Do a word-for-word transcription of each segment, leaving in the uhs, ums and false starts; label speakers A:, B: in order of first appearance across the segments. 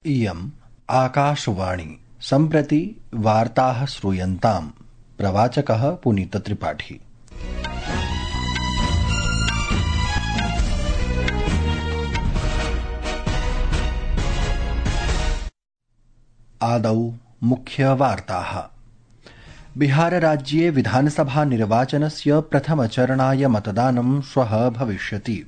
A: इयम् आकाशवाणी। सम्प्रति वार्ताः श्रूयन्ताम्। प्रवाचकः पुनीतत्रिपाठी। आदौ मुख्यवार्ताः। बिहारराज्ये विधानसभा निर्वाचनस्य प्रथमचरणाय मतदानं श्वः भविष्यति।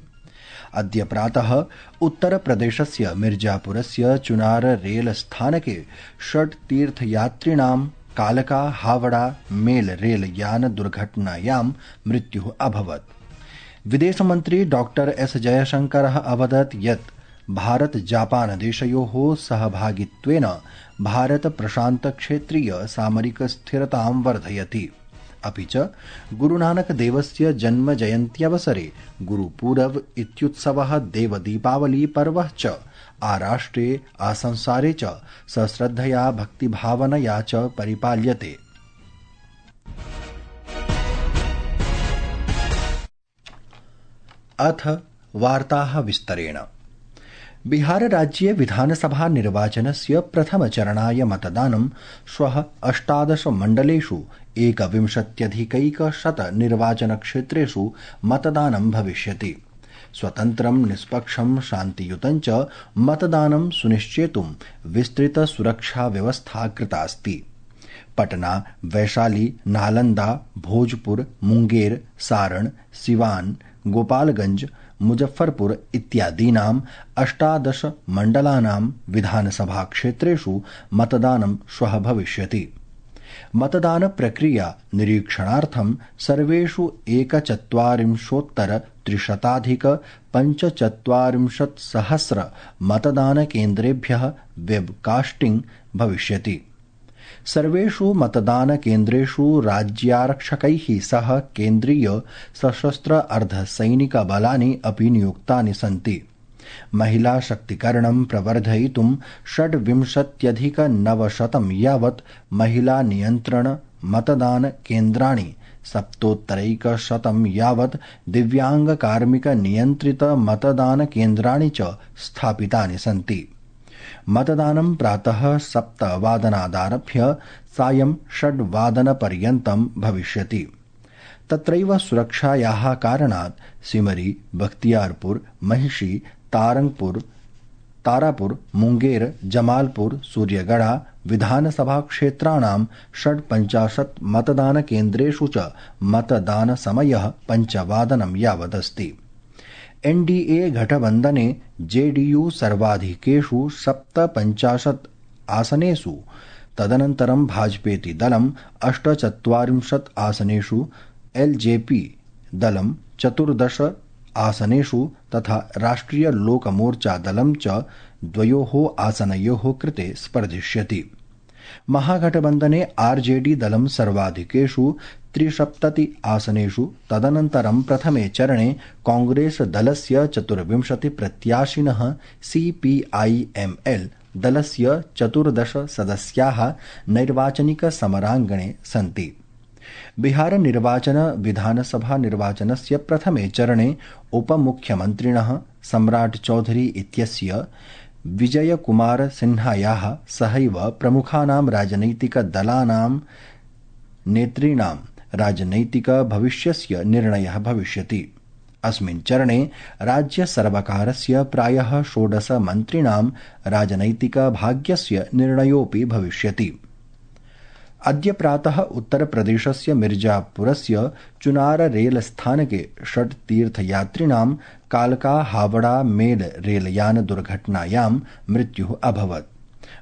A: अद्य प्रातः उत्तरप्रदेशस्य मिर्जापुरस्य चुनार रेलस्थानके षड् तीर्थयात्रिणां कालका हावड़ा मेल रेलयान दुर्घटनायां मृत्युः अभवत्। विदेशमन्त्री डॉक्टर एस जयशंकरः अवदत् यत् भारत जापान देशयोः सहभागित्वेन भारत प्रशान्त क्षेत्रीय सामरिक स्थिरतां वर्धयति। अपि च गुरुनानक देवस्य जन्म जयन्त्यवसरे गुरुपूरब इत्युत्सवः देवदीपावली पर्वः च आराष्ट्रे आसंसारे च सश्रद्धया भक्तिभावनया च परिपाल्यते। अथ वार्ताः विस्तरेण। बिहारराज्ये विधानसभा निर्वाचनस्य प्रथमचरणाय मतदानं श्वः अष्टादश मण्डलेषु एकविंशत्यधिकैकशत निर्वाचनक्षेत्रेषु मतदानं भविष्यति। स्वतन्त्रं निष्पक्षं शान्तियुतं च मतदानं सुनिश्चेतुं विस्तृतसुरक्षाव्यवस्था कृतास्ति। पटना, वैशाली, नालंदा, भोजपुर, मुंगेर, सारण, सिवान, गोपालगंज, मुजफ्फरपुर इत्यादीनाम् अष्टादश मण्डलानां विधानसभा क्षेत्रेषु मतदानं श्वः भविष्यति। मतदान प्रक्रिया निरीक्षणार्थं सर्वेषु एकचत्वारिंशोत्तर त्रिशताधिक पञ्चचत्वारिंशत्सहस्र मतदान केन्द्रेभ्यः वेबकास्टिंग भविष्यति। सर्वेषु मतदान केन्द्रेषु राज्यारक्षकैः सह केन्द्रीय सशस्त्र अर्धसैनिक बलानि अपि नियुक्तानि सन्ति। महिला शक्तिकरणं प्रवर्धयितुं षड्विंशत्यधिक नवशतं यावत् महिला नियन्त्रण मतदान केन्द्राणि, सप्तोत्तरैकशतं यावत् दिव्यांग कार्मिक नियन्त्रित मतदान केन्द्राणि च स्थापितानि सन्ति। मतदानं प्रातः सप्तवादनादारभ्य सायं षड्वादनपर्यन्तं भविष्यति। तत्रैव सुरक्षायाः कारणात् सिमरी, बख्तियारपुर, महिषी, तारंगपुर, तारापुर, मुंगेर, जमालपुर, सूर्यगढ़ा विधानसभा क्षेत्राणां षड्पञ्चाशत् मतदान केन्द्रेषु च मतदान समयः पञ्चवादनं यावदस्ति। एनडीए गठबन्धने जेडीयू सर्वाधिकेषु सप्तपञ्चाशत् आसनेषु, तदनन्तरं भाजपेति दलम् अष्टचत्वारिंशत् आसनेषु, एलजेपी दलं चतुर्दश आसनेषु तथा राष्ट्रिय लोकमोर्चा दलं च द्वयोः आसनयोः कृते स्पर्धिष्यति। महागठबन्धने आरजेडी दलं सर्वाधिकेषु त्रिसप्तति आसनेषु, तदनन्तरं प्रथमे चरणे कांग्रेस दलस्य चतुर्विंशति प्रत्याशिनः, सीपीआईएमएल दलस्य चतुर्दश सदस्याः नैर्वाचनिक समराङ्गणे सन्ति। बिहार निर्वाचन विधानसभा निर्वाचनस्य प्रथमे चरणे उपमुख्यमन्त्रिणः सम्राट चौधरी इत्यस्य विजयकुमार सिन्हायाः सहैव प्रमुखानां राजनैतिकदलानां नेतॄणां राजनैतिक भविष्यस्य निर्णयः भविष्यति। अस्मिन् चरणे राज्यसर्वकारस्य प्रायः षोडश मन्त्रिणां राजनैतिक भाग्यस्य निर्णयोऽपि भविष्यति। अद्य प्रातः उत्तरप्रदेशस्य मिर्जापुरस्य चुनार रेलस्थानके षड् तीर्थयात्रिणां कालका हावड़ा मेल रेलयान दुर्घटनायां मृत्युः अभवत्।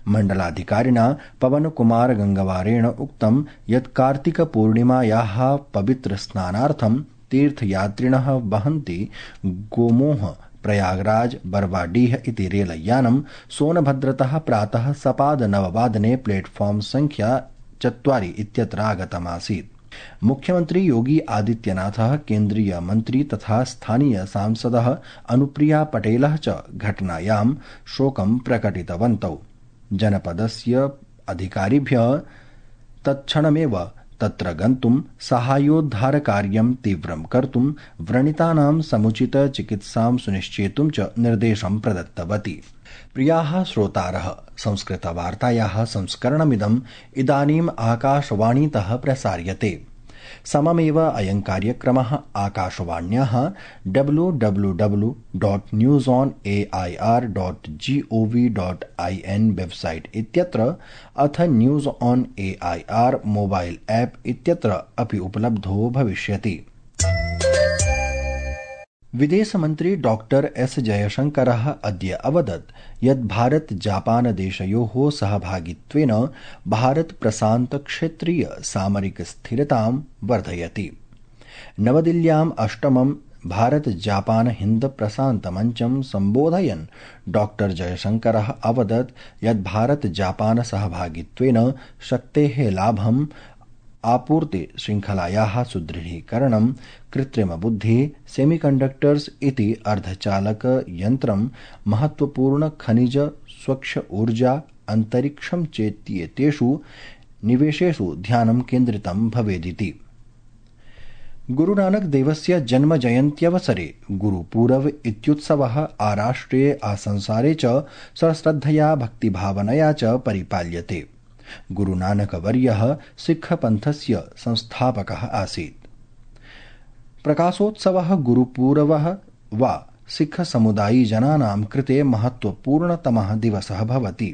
A: मण्डलाधिकारिणा पवनकुमार गंगवारेण उक्तं यत् कार्तिकपूर्णिमायाः पवित्रस्नानार्थं तीर्थयात्रिणः वहन्ति गोमोह प्रयागराज बरवाडीह इति रेलयानं सोनभद्रतः प्रातः सपाद नववादने प्लेटफॉर्म संख्या चत्वारि इत्यत्र आगतमासीत्। मुख्यमंत्री योगी आदित्यनाथः, केन्द्रीय मंत्री तथा स्थानीय सांसदः अनुप्रिया पटेलः च घटनायां शोकं प्रकटितवन्तौ। जनपदस्य अधिकारिभ्यः तत्क्षणमेव तत्र गन्तुं साहाय्योद्धारकार्यं तीव्रं कर्तुं व्रणितानां समुचित चिकित्सां सुनिश्चेतुं च निर्देशं प्रदत्तवती। प्रियाः श्रोतारः, संस्कृतवार्तायाः संस्करणमिदम् इदानीम् आकाशवाणीतः प्रसार्यते। सममेव अयं कार्यक्रमः आकाशवाण्याः W W W dot news on A I R dot G O V dot I N website इत्यत्र अथ news on A I R mobile app इत्यत्र अपि उपलब्धो भविष्यति। विदेशमन्त्री डॉक्टर एस जयशंकरः अद्य अवदत् यत् भारत जापान देशयोः सहभागित्वेन भारत प्रशान्त क्षेत्रीय सामरिक स्थिरतां वर्धयति। नवदिल्ल्याम् अष्टमं भारत जापान हिन्द प्रशान्त मञ्चं सम्बोधयन् डॉक्टर जयशंकरः अवदत् यत् भारत जापान सहभागित्वेन शक्तेः लाभं आपूर्ति श्रृङ्खलायाः सुदृढीकरणं, कृत्रिमबुद्धिः, सेमीकण्डक्टर्स् इति अर्धचालक यन्त्रं, महत्वपूर्ण खनिज, स्वच्छ ऊर्जा, अन्तरिक्षं चेत्येतेषु निवेशेषु ध्यानं केन्द्रितं भवेदिति। गुरुनानक देवस्य जन्म जयन्त्यवसरे गुरुपूरव इत्युत्सवः आराष्ट्रे आसंसारे च सश्रद्धया भक्तिभावनया च परिपाल्यते। गुरुनानकवर्यः सिक्खपन्थस्य संस्थापकः आसीत्। प्रकाशोत्सवः गुरुपूरवः वा सिक्खसमुदायीजनानां कृते महत्वपूर्णतमः दिवसः भवति।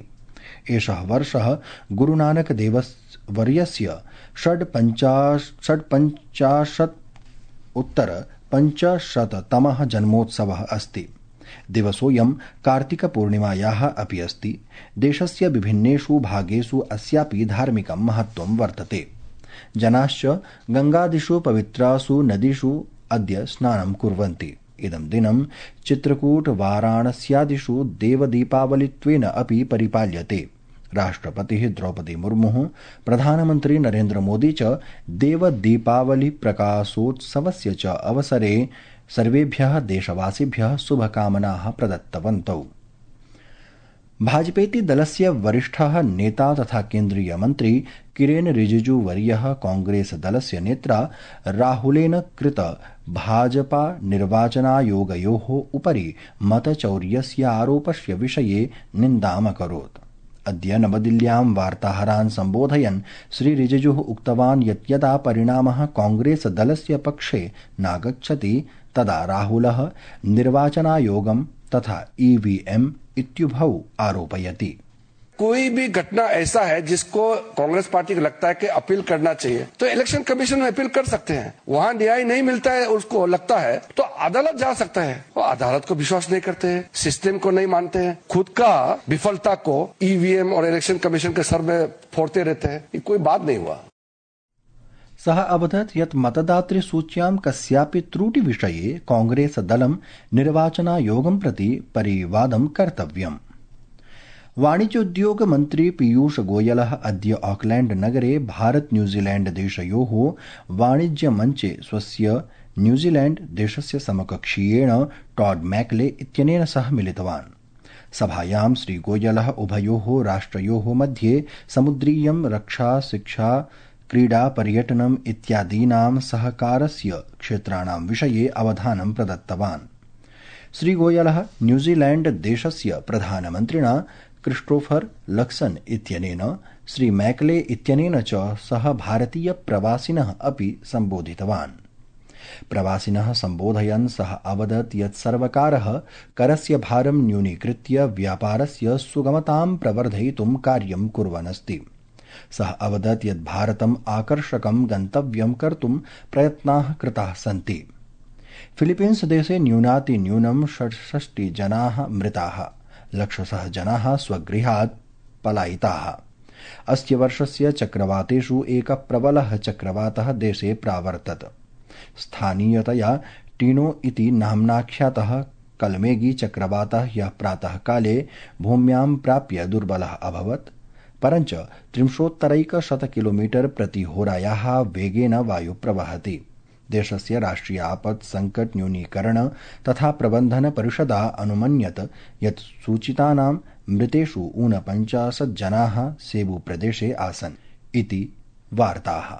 A: एषः वर्षः गुरुनानकदेववर्यस्य षड्पञ्चाशत् उत्तर पञ्चशततमः जन्मोत्सवः अस्ति। दिवसोऽयं कार्तिकपूर्णिमायाः अपि अस्ति। देशस्य विभिन्नेषु भागेषु अस्यापि धार्मिकं महत्त्वं वर्तते। जनाश्च गङ्गादिषु पवित्रासु नदीषु अद्य स्नानं कुर्वन्ति। इदं दिनं चित्रकूट वाराणस्यादिषु देवदीपावलित्वेन अपि परिपाल्यते। राष्ट्रपतिः द्रौपदी मुर्मुः, प्रधानमन्त्री नरेन्द्र मोदी च देवदीपावली प्रकाशोत्सवस्य च अवसरे सर्वेभ्यः देशवासिभ्यः शुभकामनाः प्रदत्तवन्तौ। भाजपेति दलस्य वरिष्ठः नेता तथा केन्द्रीय मन्त्री किरेन रिजिजू वर्यः कांग्रेस दलस्य नेत्रा राहुलेन कृत भाजपा निर्वाचनायोगयोः उपरि मतचौर्यस्य आरोपस्य विषये निन्दामकरोत्। अद्य नवदिल्ल्यां वार्ताहरान् सम्बोधयन् श्री रिजिजुः उक्तवान् यत् यदा परिणामः कांग्रेस दलस्य पक्षे नागच्छति तदा राहुलः निर्वाचनायोगं तथा ईवीएम इत्युभौ आरोपयति।
B: कोई भी घटना ऐसा है जिसको कांग्रेस पार्टी को लगता है कि अपील करना चाहिए तो इलेक्शन कमीशन में अपील कर सकते हैं। वहां न्याय नहीं मिलता है, उसको लगता है तो अदालत जा सकता है। वो अदालत को विश्वास नहीं करते हैं, सिस्टम को नहीं मानते हैं, खुद का विफलता को ईवीएम और इलेक्शन कमीशन के सर में फोड़ते रहते हैं। ये कोई बात नहीं हुआ।
A: सः अवदत् यत् मतदातृसूच्यां कस्यापि त्रुटिविषये कांग्रेस दलं निर्वाचनायोगं प्रति परिवादं कर्तव्यम्। वाणिज्योद्योग मन्त्री पीयूष गोयलः अद्य ऑकलैंड नगरे भारत न्यूजीलैंड देशयोः वाणिज्यमञ्चे स्वस्य न्यूजीलैंड देशस्य समकक्षीयेण टॉड मैकले इत्यनेन सह मिलितवान्। सभायां श्री गोयलः उभयोः राष्ट्रयोः मध्ये समुद्रीयं रक्षा, शिक्षा, क्रीडा, पर्यटनम् इत्यादीनां सहकारस्य क्षेत्राणां विषये अवधानं प्रदत्तवान्। श्री गोयलः न्यूजीलैंड देशस्य प्रधानमन्त्रिणा क्रिस्टोफर लक्सन इत्यनेन श्री मैकले इत्यनेन च सह भारतीय प्रवासिनः अपि सम्बोधितवान्। प्रवासिनः सम्बोधयन् सः अवदत् यत् सर्वकारः करस्य भारं न्यूनीकृत्य व्यापारस्य सुगमतां प्रवर्धयितुं कार्यं कुर्वन् अस्ति। सः अवदत् यत् भारतम् आकर्षकं गन्तव्यं कर्तुं प्रयत्नाः कृताः सन्ति। फिलीपीन्स देशे न्यूनातिन्यूनं षट्षष्टि जनाः मृताः, लक्षशः जनाः स्वगृहात् पलायिताः। अस्य वर्षस्य चक्रवातेषु एकः प्रबलः चक्रवातः देशे प्रावर्तत। स्थानीयतया टीनो इति नाम्नाख्यातः कलमेगी चक्रवातः ह्यः प्रातः काले भूम्यां प्राप्य दुर्बलः अभवत्, परञ्च त्रिंशोत्तरैकशत किलोमीटर प्रतिहोरायाः वेगेन वायु प्रवहति। देशस्य राष्ट्रिय आपत् संकट न्यूनीकरण तथा प्रबन्धन परिषदा अनुमन्यत यत् सूचितानां मृतेषु ऊनपञ्चाशत् जनाः सेबू प्रदेशे आसन् इति वार्ताः।